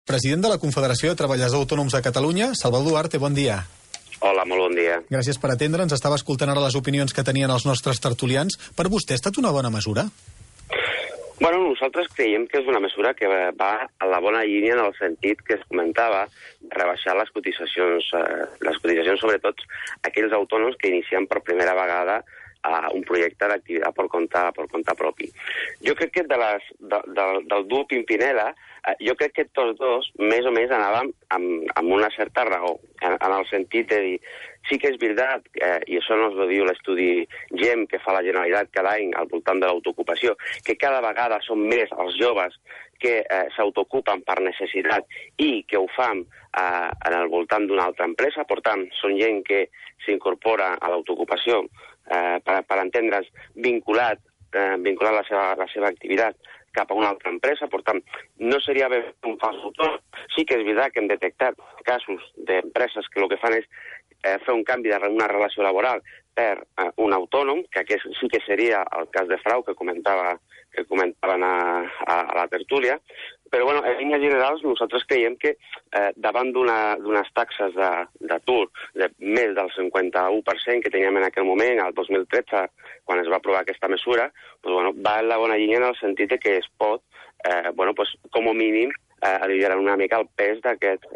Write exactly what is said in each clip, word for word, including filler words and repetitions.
president de la Confederació de Treballadors Autònoms de Catalunya. Salvador Duarte, bon dia. Hola, molt bon dia. Gràcies per atendre'ns. Estava escoltant ara les opinions que tenien els nostres tertulians. Per vostè ha estat una bona mesura? Bueno, nosaltres creiem que és una mesura que va a la bona línia en el sentit que es comentava rebaixar les cotitzacions, eh, les cotitzacions sobretot aquells autònoms que inicien per primera vegada a un projecte d'activitat per compte, per compte propi. Jo crec que de les, de, de, del duo Pimpinela, eh, jo crec que tots dos més o menys anàvem amb, amb una certa raó, en, en el sentit de dir, sí que és veritat, eh, i això no ho diu l'estudi GEM que fa la Generalitat cada any al voltant de l'autoocupació, que cada vegada són més els joves que eh, s'autoocupen per necessitat i que ho fan eh, en el voltant d'una altra empresa. Per tant, són gent que s'incorpora a l'autoocupació eh, per, per entendre's vinculat, eh, vinculat la seva, la seva activitat cap a una altra empresa. Per tant, no seria bé un fals autònom. Sí que és veritat que hem detectat casos d'empreses que el que fan és eh, fer un canvi d'una relació laboral per eh, un autònom, que aquest sí que seria el cas de frau que comentava que comentaven a, a, a la tertúlia. Però, bueno, en línies generals, nosaltres creiem que eh, davant d'unes taxes d'atur de, de més del cinquanta-u per cent que teníem en aquell moment, el dos mil tretze, quan es va aprovar aquesta mesura, pues, bueno, va en la bona línia en el sentit de que es pot, eh, bueno, pues, com a mínim, eh, aliviar una mica el pes d'aquests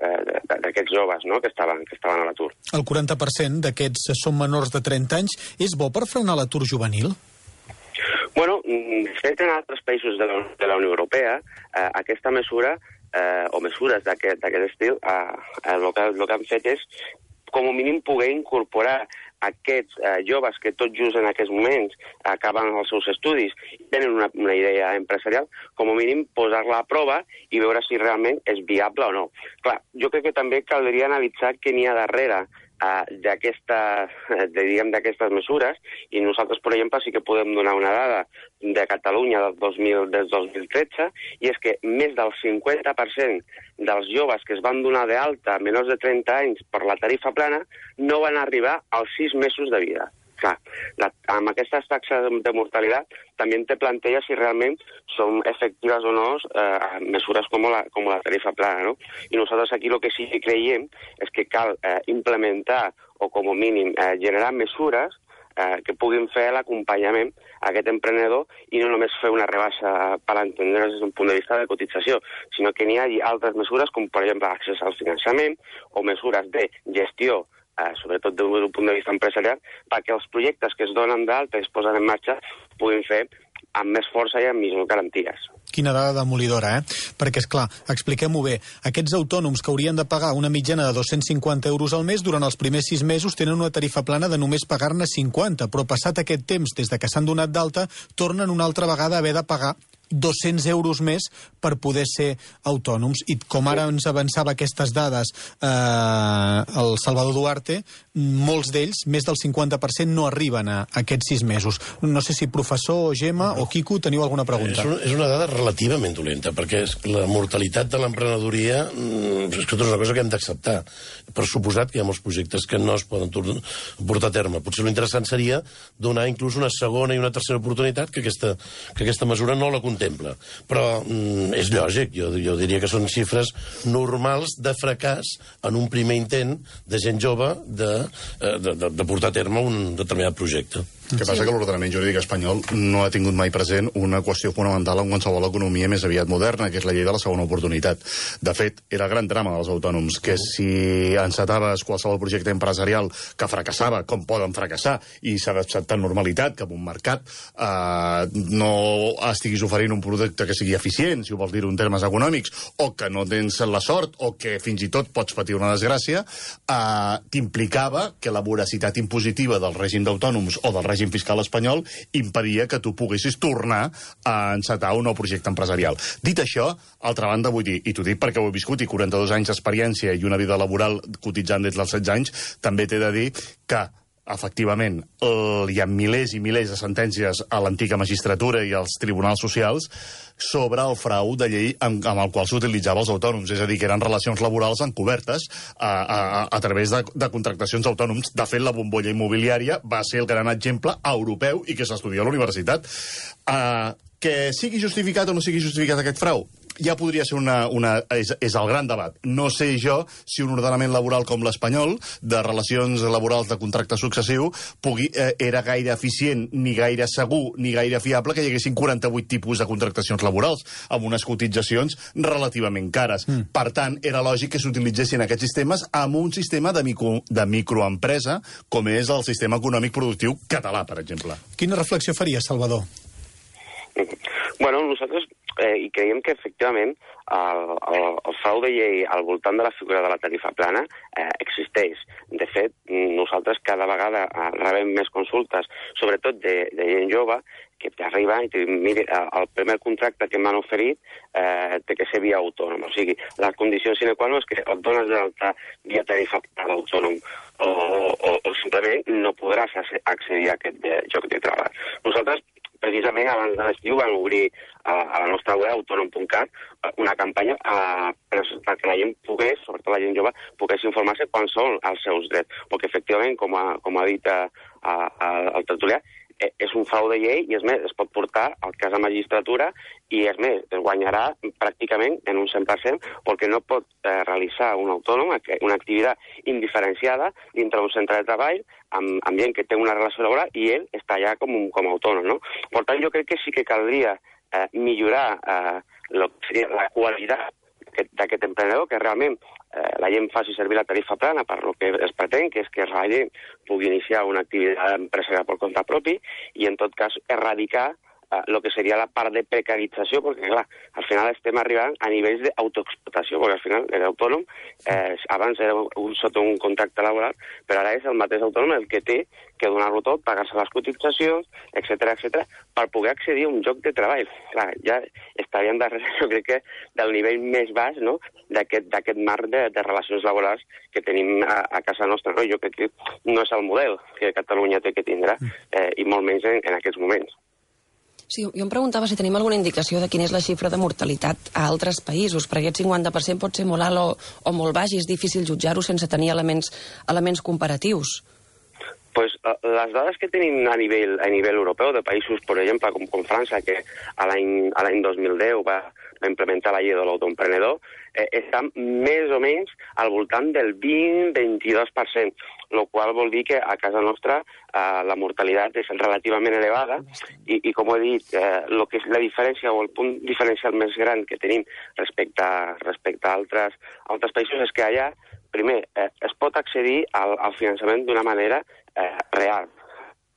aquest, eh, joves, no?, que estaven, que estaven a l'atur. El quaranta per cent d'aquests són menors de trenta anys. És bo per frenar l'atur juvenil? Bueno, de fet, en altres països de la, de la Unió Europea, eh, aquesta mesura, eh, o mesures d'aquest estil, eh, el, que, el que han fet és, com a mínim, poder incorporar aquests eh, joves que tot just en aquests moments acaben els seus estudis i tenen una, una idea empresarial, com a mínim posar-la a prova i veure si realment és viable o no. Clar, jo crec que també caldria analitzar què n'hi ha darrere d'aquestes d'aquestes mesures, i nosaltres, per exemple, sí que podem donar una dada de Catalunya del dos mil, del dos mil tretze, i és que més del cinquanta per cent dels joves que es van donar d'alta menors de trenta anys per la tarifa plana no van arribar als sis mesos de vida. Clar, la, amb aquestes taxes de mortalitat també te planteja si realment són efectives o no eh, mesures com la, com la tarifa plana, no? I nosaltres aquí el que sí que creiem és que cal eh, implementar o com a mínim eh, generar mesures eh, que puguin fer l'acompanyament a aquest emprenedor i no només fer una rebaixa per entendre's des d'un punt de vista de cotització, sinó que n'hi hagi altres mesures com, per exemple, accés al finançament o mesures de gestió, Eh, sobretot des d'un punt de vista empresarial, perquè els projectes que es donen d'alta i es posen en marxa puguin fer amb més força i amb més garanties. Quina dada demolidora, eh? Perquè, és clar, expliquem-ho bé, aquests autònoms que haurien de pagar una mitjana de dos-cents cinquanta euros al mes, durant els primers sis mesos tenen una tarifa plana de només pagar-ne cinquanta, però passat aquest temps, des de que s'han donat d'alta, tornen una altra vegada a haver de pagar dos-cents euros més per poder ser autònoms. I com ara ens avançava aquestes dades eh, el Salvador Duarte, molts d'ells, més del cinquanta per cent, no arriben a aquests sis mesos. No sé si professor, Gemma o Quico teniu alguna pregunta. És una, és una dada relativament dolenta, perquè la mortalitat de l'emprenedoria és que és una cosa que hem d'acceptar. Per suposat que hi ha molts projectes que no es poden portar a terme. Potser l'interessant seria donar inclús una segona i una tercera oportunitat que aquesta, que aquesta mesura no la contempla. Però mm, és lògic, jo, jo diria que són xifres normals de fracàs en un primer intent de gent jove de, de, de, de portar a terme un determinat projecte. El que passa que l'ordenament jurídic espanyol no ha tingut mai present una qüestió fonamental en qualsevol economia més aviat moderna, que és la llei de la segona oportunitat. De fet, era el gran drama dels autònoms, que si encetaves qualsevol projecte empresarial que fracassava, com poden fracassar, i s'ha d'acceptar amb normalitat que en un mercat eh, no estiguis oferint un producte que sigui eficient, si ho vols dir en termes econòmics, o que no tens la sort, o que fins i tot pots patir una desgràcia, eh, t'implicava que la voracitat impositiva del règim d'autònoms o del règim fiscal espanyol impedia que tu poguessis tornar a encetar un nou projecte empresarial. Dit això, altra banda, vull dir, i t'ho dic perquè ho he viscut, i quaranta-dos anys d'experiència i una vida laboral cotitzant des dels setze anys, també t'he de dir que efectivament, hi ha milers i milers de sentències a l'antiga magistratura i als tribunals socials sobre el frau de llei amb, amb el qual s'utilitzava els autònoms, és a dir, que eren relacions laborals encobertes a, a, a través de, de contractacions d'autònoms. De fet, la bombolla immobiliària va ser el gran exemple europeu i que s'estudia a la universitat. Uh, que sigui justificat o no sigui justificat aquest frau, ja podria ser una... una és, és el gran debat. No sé jo si un ordenament laboral com l'espanyol, de relacions laborals de contracte successiu, pugui, eh, era gaire eficient, ni gaire segur, ni gaire fiable que hi haguessin quaranta-vuit tipus de contractacions laborals, amb unes cotitzacions relativament cares. Mm. Per tant, era lògic que s'utilitzessin aquests sistemes amb un sistema de, micro, de microempresa, com és el sistema econòmic productiu català, per exemple. Quina reflexió faria, Salvador? Bueno, nosaltres eh, i creiem que efectivament el, el, el frau de llei al voltant de la figura de la tarifa plana eh, existeix. De fet, nosaltres cada vegada eh, rebem més consultes, sobretot de, de gent jove, que t'arriba i te diu, mira, el primer contracte que m'han oferit eh, té que ser via autònom. O sigui, la condició sine qua non és que et dones d'alta via tarifa plana d'autònom o, o, o simplement no podràs accedir a aquest de, joc de treball. Nosaltres precisament abans de l'estiu van obrir a, a la nostra web, autònom punt cat, una campanya a, perquè la gent pogués, sobretot la gent jove, pogués informar-se quan són els seus drets. Perquè, efectivament, com ha, com ha dit a, a, a, el tertulià, és un frau de llei i, és més, es pot portar al cas a magistratura i, és més, es guanyarà pràcticament en un cent per cent perquè no pot eh, realitzar un autònom una activitat indiferenciada dintre d'un centre de treball amb, amb gent que té una relació laboral i ell està allà com, un, com a autònom, no? Per tant, jo crec que sí que caldria eh, millorar eh, lo que seria la qualitat d'aquest emprenedor, que realment eh, la gent faci servir la tarifa plana per lo que es pretén, que és que la gent pugui iniciar una activitat empresarial per compte propi i, en tot cas, erradicar el que seria la part de precarització, perquè, clar, al final estem arribant a nivells d'autoexplotació, perquè al final l'autònom eh, abans era un, sota un contracte laboral, però ara és el mateix autònom el que té que donar-lo tot, pagar-se les cotitzacions, etcètera, etcètera, per poder accedir a un lloc de treball. Clar, ja estaríem darrere, jo crec que, del nivell més baix, no?, d'aquest marc de, de relacions laborals que tenim a, a casa nostra, no? Jo crec que no és el model que Catalunya té que tindre, eh, i molt menys en, en aquests moments. Sí, jo em preguntava si tenim alguna indicació de quina és la xifra de mortalitat a altres països, perquè aquest cinquanta per cent pot ser molt alt o, o molt baix i és difícil jutjar-ho sense tenir elements, elements comparatius. Pues, les dades que tenim a nivell, a nivell europeu, de països, per exemple, com, com França, que a l'any dos mil deu va, va implementar la llei de l'autoemprenedor, eh, estan més o menys al voltant del vint a vint-i-dos per cent, el qual vol dir que a casa nostra eh, la mortalitat és relativament elevada i, i com he dit, eh, lo que és la diferència o el punt diferencial més gran que tenim respecte a, respecte a altres, a altres països és que allà, primer, eh, es pot accedir al, al finançament d'una manera eh, real.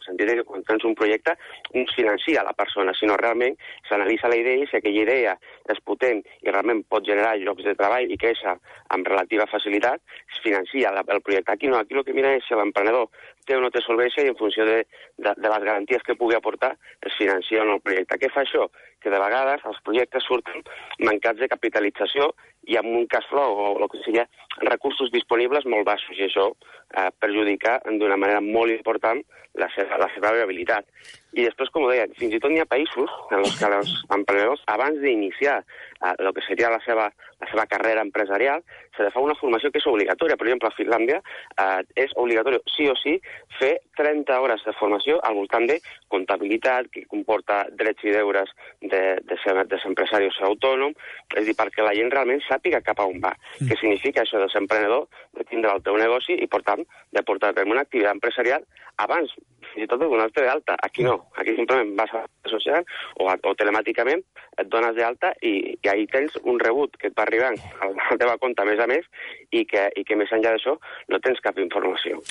En el sentit que quan tens un projecte no es financia la persona, sinó realment s'analitza la idea i si aquella idea és potent i realment pot generar llocs de treball i créixer amb relativa facilitat, es financia el projecte. Aquí no, aquí el que mira és si l'emprenedor té o no té solvència i en funció de, de, de les garanties que pugui aportar es financia en el projecte. Què fa això? Que de vegades els projectes surten mancats de capitalització i amb un cash flow o el que sigui recursos disponibles molt baixos i això eh, perjudica d'una manera molt important la seva, la seva viabilitat. I després, com ho deia, fins i tot n'hi ha països en els que els emprenedors, abans d'iniciar eh, el que seria la seva, la seva carrera empresarial, se li fa una formació que és obligatòria. Per exemple, a Finlàndia eh, és obligatori, sí o sí, fer trenta hores de formació al voltant de comptabilitat, que comporta drets i deures de, de, ser, de ser empresari o ser autònom, és a dir, perquè la gent realment sàpiga cap a on va. Mm. Què significa això de ser emprenedor, de tindre el teu negoci i, per tant, de portar a terme una activitat empresarial abans, fins i tot de donar-te d'alta. Aquí no. Aquí simplement vas a la social o, o telemàticament et dones d'alta i, i ahí tens un rebut que et va arribant a la teva compte a més a més i que, i que més enllà d'això no tens cap informació.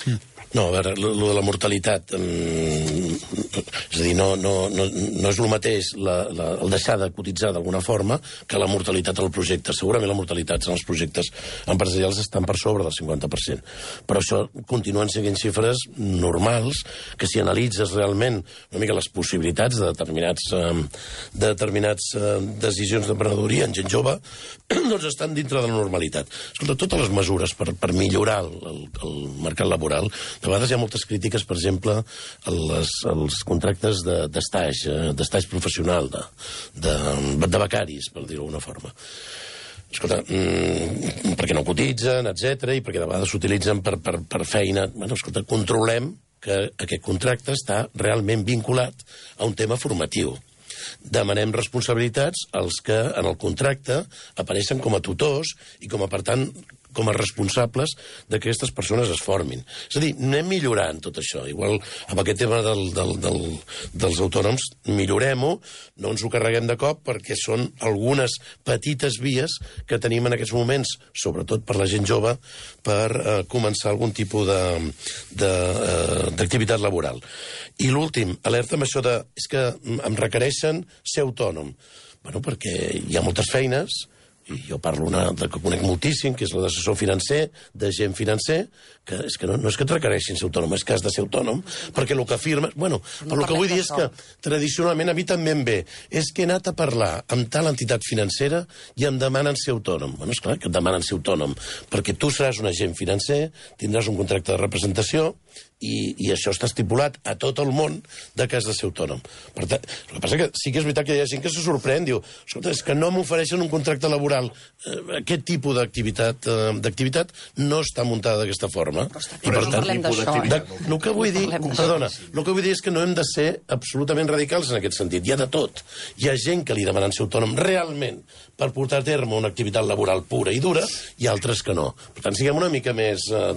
No, a veure, lo de la mortalitat, um, és a dir, no, no, no, no és el mateix la, la, el deixar de cotitzar d'alguna forma que la mortalitat del projecte. Segurament la mortalitat en els projectes empresarials estan per sobre del cinquanta per cent, però això continuen sent xifres normals que si analitzes realment una mica les possibilitats de determinats, eh, de determinats eh, decisions d'emprenedoria en gent jove, doncs estan dintre de la normalitat. Escolta, totes les mesures per, per millorar el, el, el mercat laboral, de vegades hi ha moltes crítiques, per exemple, als, als contractes d'estaix, de, eh, d'estaix professional, de, de, de becaris, per dir-ho d'alguna forma. Escolta, mmm, perquè no cotitzen, etcètera, i perquè de vegades s'utilitzen per, per, per feina. Bueno, escolta, controlem que aquest contracte està realment vinculat a un tema formatiu. demanem responsabilitats als que en el contracte apareixen com a tutors i com a, per tant, com a responsables de que aquestes persones es formin. És a dir, anem millorant tot això. Igual amb aquest tema del, del, del, dels autònoms, millorem-ho, no ens ho carreguem de cop, perquè són algunes petites vies que tenim en aquests moments, sobretot per la gent jove, per eh, començar algun tipus d'activitat eh, laboral. I l'últim, alerta amb això de... és que em requereixen ser autònom. Bueno, perquè hi ha moltes feines, i jo parlo una que conec moltíssim, que és la d'assessor financer, d'agent financer, que és que no, no és que et requereixin ser autònom, és que has de ser autònom, perquè el que afirmes... Bueno, però el que vull dir és que, tradicionalment, a mi també em ve, és que he anat a parlar amb tal entitat financera i em demanen ser autònom. Bueno, esclar que et demanen ser autònom, perquè tu seràs un agent financer, tindràs un contracte de representació, i, i això està estipulat a tot el món de que has de ser autònom. Per tant, el que passa que sí que és veritat que hi ha gent que se sorprèn, diu, escolta, és que no m'ofereixen un contracte laboral. Eh, aquest tipus d'activitat eh, d'activitat no està muntada d'aquesta forma. I per tant, de, el que vull dir, perdona, el que vull dir és que no hem de ser absolutament radicals en aquest sentit. Hi ha de tot. Hi ha gent que li demanen ser autònom realment per portar a terme una activitat laboral pura i dura, i altres que no. Per tant, siguem una mica més... Eh,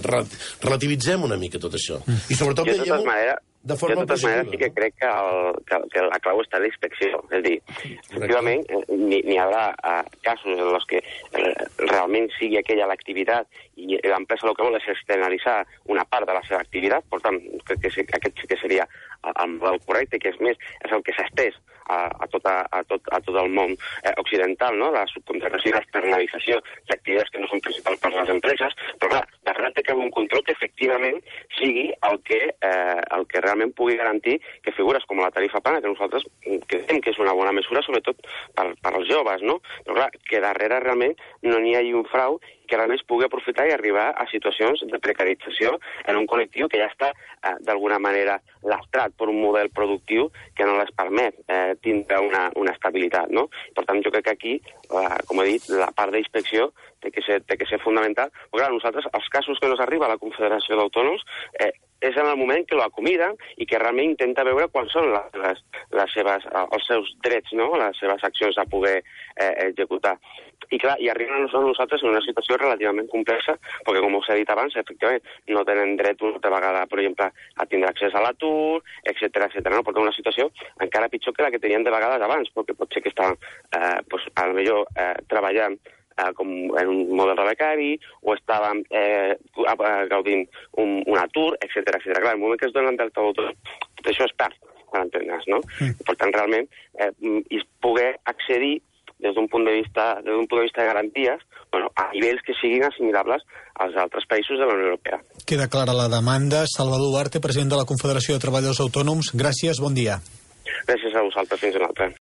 relativitzem una mica tot això. I sobretot jo, de totes maneres, de forma jo, de totes maneres, sí que crec que, el, que, que la clau està en la inspecció. És a dir, efectivament, n'hi hi haurà uh, casos en els que uh, realment sigui aquella l'activitat i l'empresa el que vol és externalitzar una part de la seva activitat, per tant, crec que sí, aquest sí que seria el model correcte, que és més, és el que s'ha estès a, a, tota, a, tot, a tot el món eh, occidental, no? La subcontractació i l'externalització d'activitats que no són principals per les empreses, però clar, darrere té que haver un control que efectivament sigui el que, eh, el que realment pugui garantir que figures com la tarifa plana, que nosaltres creiem que és una bona mesura, sobretot per, per als joves, no? Però clar, que darrere realment no n'hi hagi un frau que realment es pugui aprofitar i arribar a situacions de precarització en un col·lectiu que ja està, eh, d'alguna manera, lastrat per un model productiu que no les permet eh, tindre una, una estabilitat, no? Per tant, jo crec que aquí, eh, com he dit, la part d'inspecció té que ser, té que ser fundamental. Però clar, nosaltres, els casos que nos arriba a la Confederació d'Autònoms, eh, és en el moment que lo acomiden i que realment intenta veure quants són les, les, les seves, els seus drets, no? Les seves accions a poder eh, executar. I clar, i arriben a nosaltres en una situació relativament complexa, perquè com us he dit abans, efectivament, no tenen dret una altra vegada, per exemple, a tindre accés a l'atur, etcètera, etcètera. No? Per tant, una situació encara pitjor que la que tenien de vegades abans, perquè pot ser que estaven, eh, pues, a lo millor, eh, treballant eh, com en un model de becari, o estaven eh, gaudint un, un atur, etcètera, etcètera. Clar, el moment que es donen del tot, tot això es perd, per entendre's, no? Mm. Per tant, realment, eh, i poder accedir des d'un punt de vista, des d'un punt de vista de garanties, bueno, a nivells que siguin assimilables als altres països de la Unió Europea. Queda clara la demanda. Salvador Duarte, president de la Confederació de Treballadors Autònoms, gràcies, bon dia. Gràcies a vosaltres, fins una altra.